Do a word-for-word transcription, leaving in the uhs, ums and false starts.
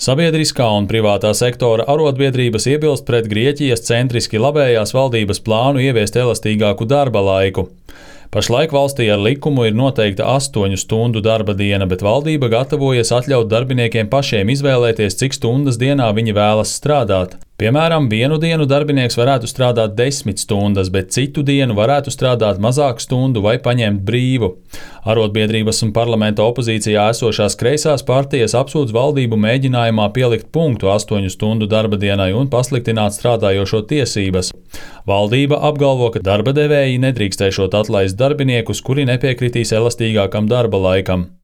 Sabiedriskā un privātā sektora arotbiedrības iebilst pret Grieķijas centriski labējās valdības plānu ieviest elastīgāku darba laiku. Pašlaik valstī ar likumu ir noteikta astoņu stundu darba diena, bet valdība gatavojas atļaut darbiniekiem pašiem izvēlēties, cik stundas dienā viņi vēlas strādāt. Piemēram, vienu dienu darbinieks varētu strādāt desmit stundas, bet citu dienu varētu strādāt mazāk stundu vai paņemt brīvu. Arotbiedrības un parlamenta opozīcijā esošās kreisās partijas apsūdz valdību mēģinājumā pielikt punktu astoņu stundu darba dienai un pasliktināt strādājošo tiesības. Valdība apgalvo, ka darba devēji nedrīkstēšot atlaist darbiniekus, kuri nepiekritīs elastīgākam darba laikam.